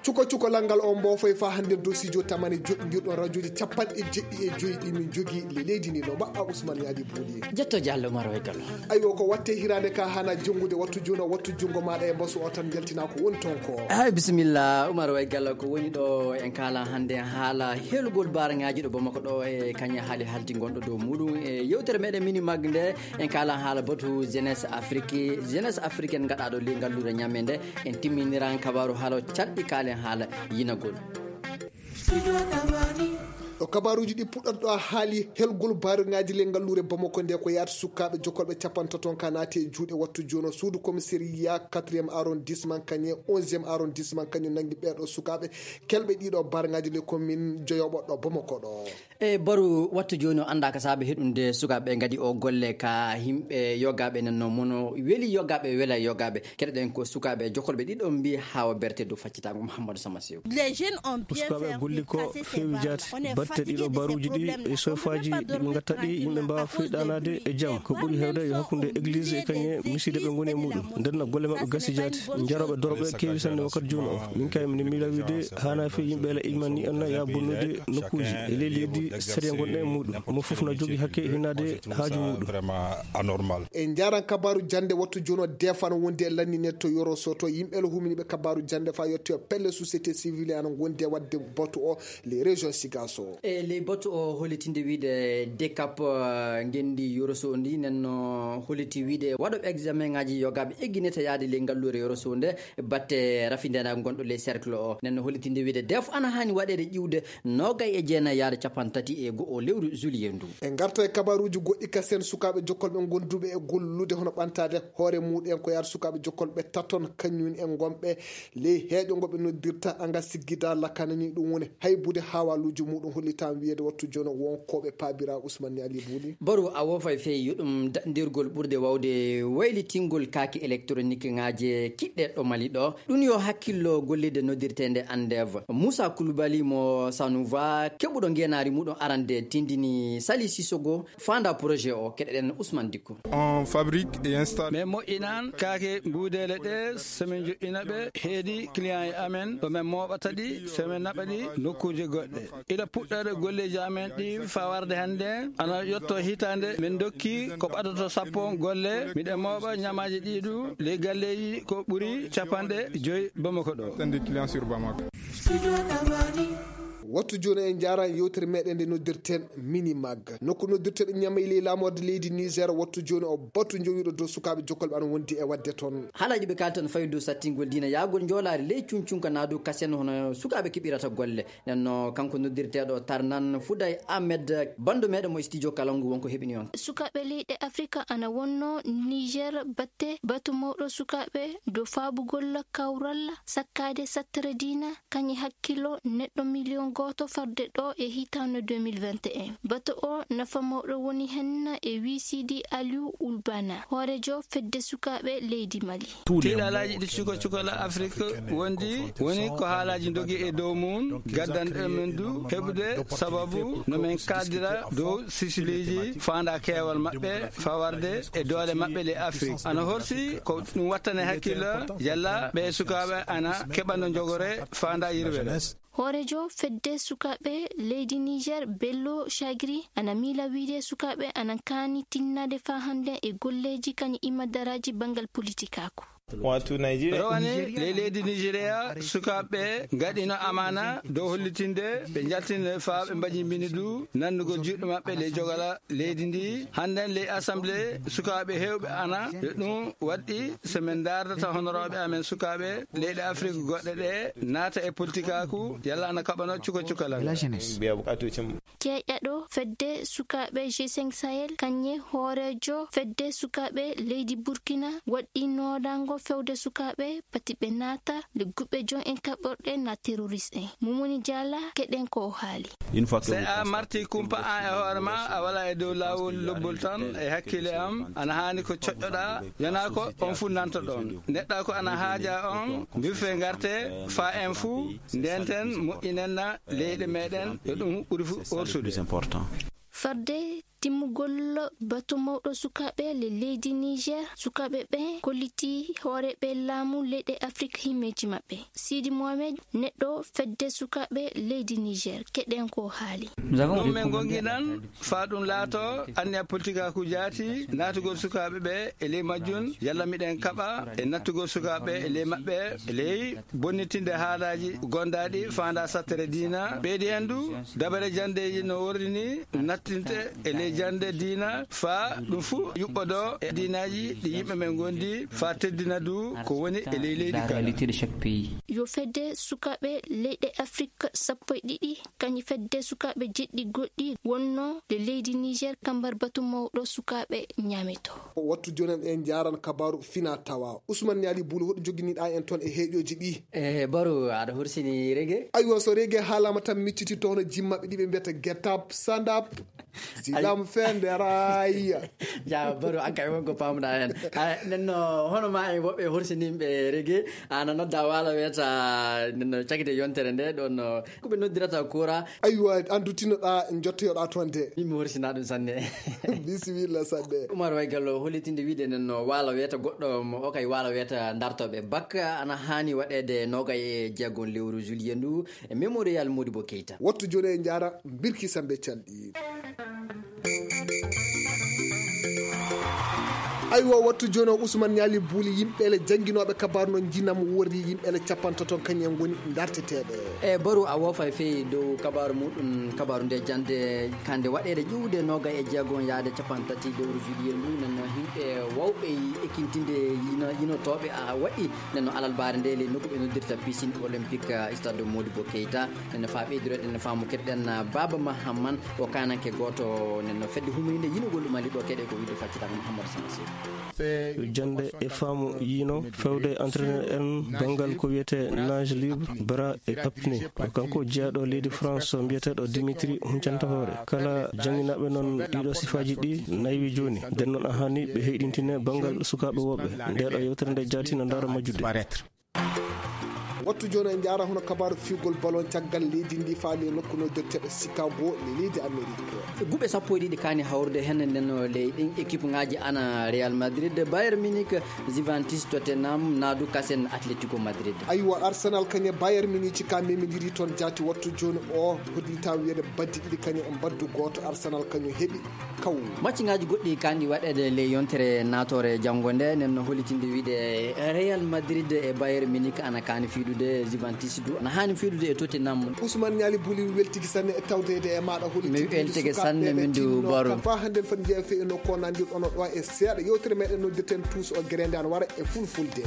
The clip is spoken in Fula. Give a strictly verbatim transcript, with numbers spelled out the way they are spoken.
Cuko cuko lanngal on mboofo e faa hannde dosiijo tamani joɗɗindirɗo rajoji capanɗe jeɗɗi e joyi ɗi min jogii le leydi ndi no mbaɗɗa Ousmane Yadi Bouly. Jetto Diallo Umar Wai Gallo. Aywa, ko watte hiraande ka hana jonngude wattu juno, wattu junngo maaɗa e mbasu o tan njaltina ko woni toon ko. Ay, bisimilla, Umar Wai Gallo, ko woni ɗo en kaala hannde haala helugol baaraŋaaji ɗo Bamako ɗo e kañe haali haldi gonɗo dow muɗum. E yewtere meɗen mini mag nde, en kaala haala batu jeunesse Afrique, jeunesse africaine gaɗa ɗo ley ngalluure ñamme nde, en timminiran kabaru haala caɗɗi kaalen haala yinagol. Ɗo kabaruuji ɗi puɗɗata ɗo a haali helgol baaraŋaaji ley ngalluure Bamako nde ko yaata sukaaɓe jokolɓe capantato ka naati e juuɗe wattu juno suudu commissariat quatrième arrondissement kañe onzième arrondissement kañum nangi ɓeeɗo sukaaɓe kelɓe ɗiɗo baaraŋaaji ley commune joyoɓo ɗo Bamako ɗo. E baru wattu jooni o anndaa ka saabe heɗunde sukaaɓe ngadi o golle ka yimɓe yogaaɓe nanno mono weli yogaaɓe wela yogaaɓe. Keɗoɗen ko sukaaɓe jokolɓe ɗiɗo mbi hawa berte dow faccitaango Mouhamadou Sama Sew. Ko sukaaɓe golli ko feewi jaati. Batte ɗiɗo baruuji ɗi e sofaji ɗi ɓe ngatta ɗi yimɓe mbaawa feyɗanaade e jam. Ko ɓuri heewde yo hakkunde église e kañe misiide ɓe ngoni e muɗum. Nden no golle maɓɓe gasi jaati. Jarooɓe dorɓe keewi sanne wakkati jooni o. Min kay min miila wiide haana fi yimɓe la ilmani en ya bonnude nokkuuji e ley leydi sariya gonɗe e muɗum. Mo fof na jogi hakke hinnaade haaju muɗum. Vraiment anormal. E njaran kabaru jannde wattu jono defano wonde e lannine to yoro soto yimɓe lo humini ɓe kabaru jannde fa yetto pelle société civile ana gonde wadde batu o les régions sigaso. E ley batu o holitinde wiide decap, eh, ngendi yoro so ndi nenno holiti wiide waɗo examen ngaji yogaɓe egginete yaade ley ngallure yoro so nde batte rafindenago gonɗo ley cercle o nenno holitinde wiide def ana hani waɗede ƴiwde nogay e jeenayi yaade capantati e go'o lewru juillet ndu. En garto e kabaruuji goɗɗi kasen sukaaɓe jokkolɓe gonduɓe e gollude hono ɓantaade hoore muɗen ko yaade sukaaɓe jokkolɓe taton kañum en gonɓe ley heeƴo ngo ɓe noddirta anga siggida lakkanani ɗum woni haybude haawaluuji muɗum hollitan wiyede wattu jono wonkoɓe paabira Ousmane Ali Bouly. Baru a woofay fey yuɗum daɗndirgol ɓurde wawde waylitingol kaaki électronique ngaje kiɗɗe ɗo Mali ɗo. Ɗum yo hakkillo gollirde noddirteende Andev. Moussa Koulibaly mo Sanouva, keɓuɗo ngeenaari muɗum arande, tindini Sali Sissoko, faanda projet o. Keɗeɗen Ousmane Dikko. On fabrique et installe. Min moƴƴinan kaake mbuudeele ɗe, so min joƴƴina ɓe, heedi client e amen, ɗo min mooɓata ɗi, so min naɓa ɗi nokkuuje goɗɗe. Ila puɗɗoore golleeji amen ɗi faa warde hannde, ana yotto hitaande, min ndokki ko ɓadato sappo golle, miɗen mooɓa ñamaaji ɗi du, ley galleeji ko ɓuri capanɗe joy Bamako ɗo. Attendez client sur Bamako. Wattu jooni en njaara yewtere meɗen nde noddirten Minimag. Nokku noddirteɗo ñamay ley laamorde leydi Niger wattu jooni o batu jowiɗo dow sukaaɓe jokkolɓe ana wondi e wadde toon. Haalaaji ɓe kaaltan fawi dow sattingol diina yaagol njoolaari ley cuncunka naa dow kasen hono sukaaɓe keɓirata golle. Nden no kanko noddirteeɗo Tarnan Fuday Ahmed, banndo meɗen mo studio Kalangu wonko heɓini on. Sukaaɓe leyɗe Afrika ana wonno Niger batte batu mawɗo sukaaɓe dow faabugol kawral sakkaade sattere diina kañi hakkilo neɗɗo miliyon gooto farde ɗo e hitaande deux mille vingt et un. Batu o nafa mawɗo woni hen e wiisiidi Aliou Oulbana, hoorejo fedde sukaaɓe leydi Mali. Tiiɗalaaji ɗi cuka cukala Afrik wondi woni ko haalaaji ndogi e dow mum, gaddanɗo men du heɓude sababu no men kaaldira dow sisileeji faanda keewal maɓɓe fawarde e doole maɓɓe le Afrik. Ana horsi ko ɗum wattane hakkilla yalla ɓe sukaaɓe ana keɓano njogore faanda yirwere. Hoorejo fedde sukaaɓe leydi Niger, Bello Chagri, ana miila wiide sukaaɓe ana kaani tinnade faa hannde e golleeji kañi imadaraaji banngal politikaaku. Wato Nigeria. Rowane, ley leydi Nigeria, sukaaɓe ngaɗino amaana dow hollitinde ɓe njaltinde faa ɓe mbaji mbini du nannugol juuɗe maɓɓe ley jogala leydi ndi. Hannden ley assemblée, sukaaɓe heewɓe ana yo ɗum waɗɗi so min ndaardata honorooɓe amen sukaaɓe leyɗe Afrik goɗɗe ɗe naata e politikaaku, yalla ana kaɓano cuka cukalal. Ceeƴaɗo fedde sukaaɓe G cinq Sahel, kañe hooreejo fedde sukaaɓe leydi Burkina, waɗɗi noodango fewde sukaaɓe pati ɓe naata le guɓɓe jon en kaɓorɗe na terroriste en. Mumuni Diala, keɗen ko o haali. Une fois que... Se a marti kumpa an e hoore ma, a wala e dow laawol lobbol tan e hakkille am, ana haani ko coƴƴoɗa, yana ko on fu nanto ɗon. Neɗɗa ko ana haaja on, mbirfe ngarte, fa en fu, ndenten, moƴƴinenna leyɗe meɗen, yo ɗum ɓuri fu orsude. Farde timmugol batu mawɗo sukaaɓe le leydi Niger, sukaaɓe ɓe kolliti hooreeɓe laamu leyɗe Afrik himmeeji maɓɓe. Sidi Mohamed, neɗɗo fedde sukaaɓe leydi Niger, keɗen ko haali. Ɗum men gonginan faa ɗum laato anniya politikaaku jaati, naatugol sukaaɓe ɓe e ley majjum, yalla miɗen kaɓa e nattugol sukaaɓe e ley maɓɓe, e ley bonnitinde haalaaji gondaaɗi faandaa sattere diina. Ɓeydi heen du, dabare janndeeji no worri ni nattinte e ley jannde diina, faa ɗum fuu yuɓɓodoo e diinaaji ɗi yimɓe men ngondi, faa teddina du ko woni e ley leydi kala. Yo fedde sukaaɓe leyɗe Afrik sappo e ɗiɗi, kañum fedde sukaaɓe jeɗɗi goɗɗi wonno le leydi Niger, kambar batu mawɗo sukaaɓe ñaameto. Wattu jooni en, en njaaran kabaaru fina tawa. Usman Ñaali Buulu, hoɗo joginiɗaa en toon e heeƴooji ɗi? Eh, Baro, aɗa horsini reggae? Aywa, so reggae haalaama tan, micciti toon e jimmaɓe ɗi ɓe mbiyata get up, stand up, silam fenderaya. Ja, Baro, an kay wonko paamɗaa heen. Ay, nen no, hono ma en woɓɓe horsinimɓe reggae, ana nodda waala weta, nen no cagite yontere nde, ɗon no, ko ɓe noddirata kora. Aywa, an du tinnoɗaa, jottoyoɗaa toon de. Min mi horsina ɗum sanne. Bisimilla sanne. Umar Waygallo, hollitinde wiide nen no waala weta goɗɗo mo o kay waala weta dartoɓe bakka, ana haani waɗeede noogay e jeegon lewru juillet ndu, e Mémorial Modibo Keita. Wattu jooni e njaara Birki Sambe Calɗi. Aywa, wattu jooni o Usman Ñaali Buuli, yimɓe le jannginooɓe kabaaru no njinam worri, yimɓe le capantato kañum en ngoni darteteeɓe. E Baro, a woofay feyi dow kabaaru muɗum, kabaaru nde jannde kande waɗeede ƴuwde noogay e jeegon yaade capantati lewru juillet ndu, nen no yimɓe wawɓe ekintinde yino-, yinotooɓe a waɗi, nen no alalbaare nde le nokku ɓe noddirta piscine olympique, ah, stade Modibo Keita. Nen no faa ɓeydiroɗen faamu keɗɗen, ah, Baba Mahamman, o kaananke gooto, nen no fedde humrinde yinugol ɗum ali ɗo keɗe ko wiide faccitaaka Mouhamadou Samassi. Jannde e faamu yino fewde entraîneur en banngal ko wiyetee nage libre, bras et apnée. Ko kanko jeyaaɗo leydi France mbiyeteeɗo Dimitri huncanta hoore. Kala jannginaaɓe noon ɗiɗo sifaaji ɗi naywi jooni. Nden noon a haani ɓe heyɗintine banngal sukaaɓe woɓɓe. Nde ɗo yewtere nde jaati no ndaara majjude. Wattu jooni en njaara hono kabaaru fiyugol ballon caggal leydi ndi faali e nokku no dotteeɗo Chicago, le leydi Amérique. Guɓe sappo e ɗiɗi kaani hawrude heen nden no ley ɗin équipe ŋaaji ana Real Madrid, Bayern Munich, Juventus, Tottenham, naadu kasen Atletico Madrid. Aywa, Arsenal kañe Bayern Munich ka memidiri toon jaati wattu jooni o hoddita wiyede baddi ɗiɗi kañe e mbaddu gooto Arsenal kañum heɓi. Kaw. Macciŋaaji goɗɗi kanɗi waɗeede ley yontere naatoore janngo nde, nen no hollitinde wiide Real Madrid e Bayern Munich ana kaani fiidude, Juventus du ana haani fiidude e Tottenham. Ousmane Ñaali Buli, mi weltiki sanne e tawdeede e maaɗa. Hollitinde mi weltiki sanne, min du Baro. Ka fa hannden foti jeeya fe e nokku o nanndi ɗono ɗo e seeɗa yewtere meɗen noddirten tuus o gerende ana wara e fulfulde.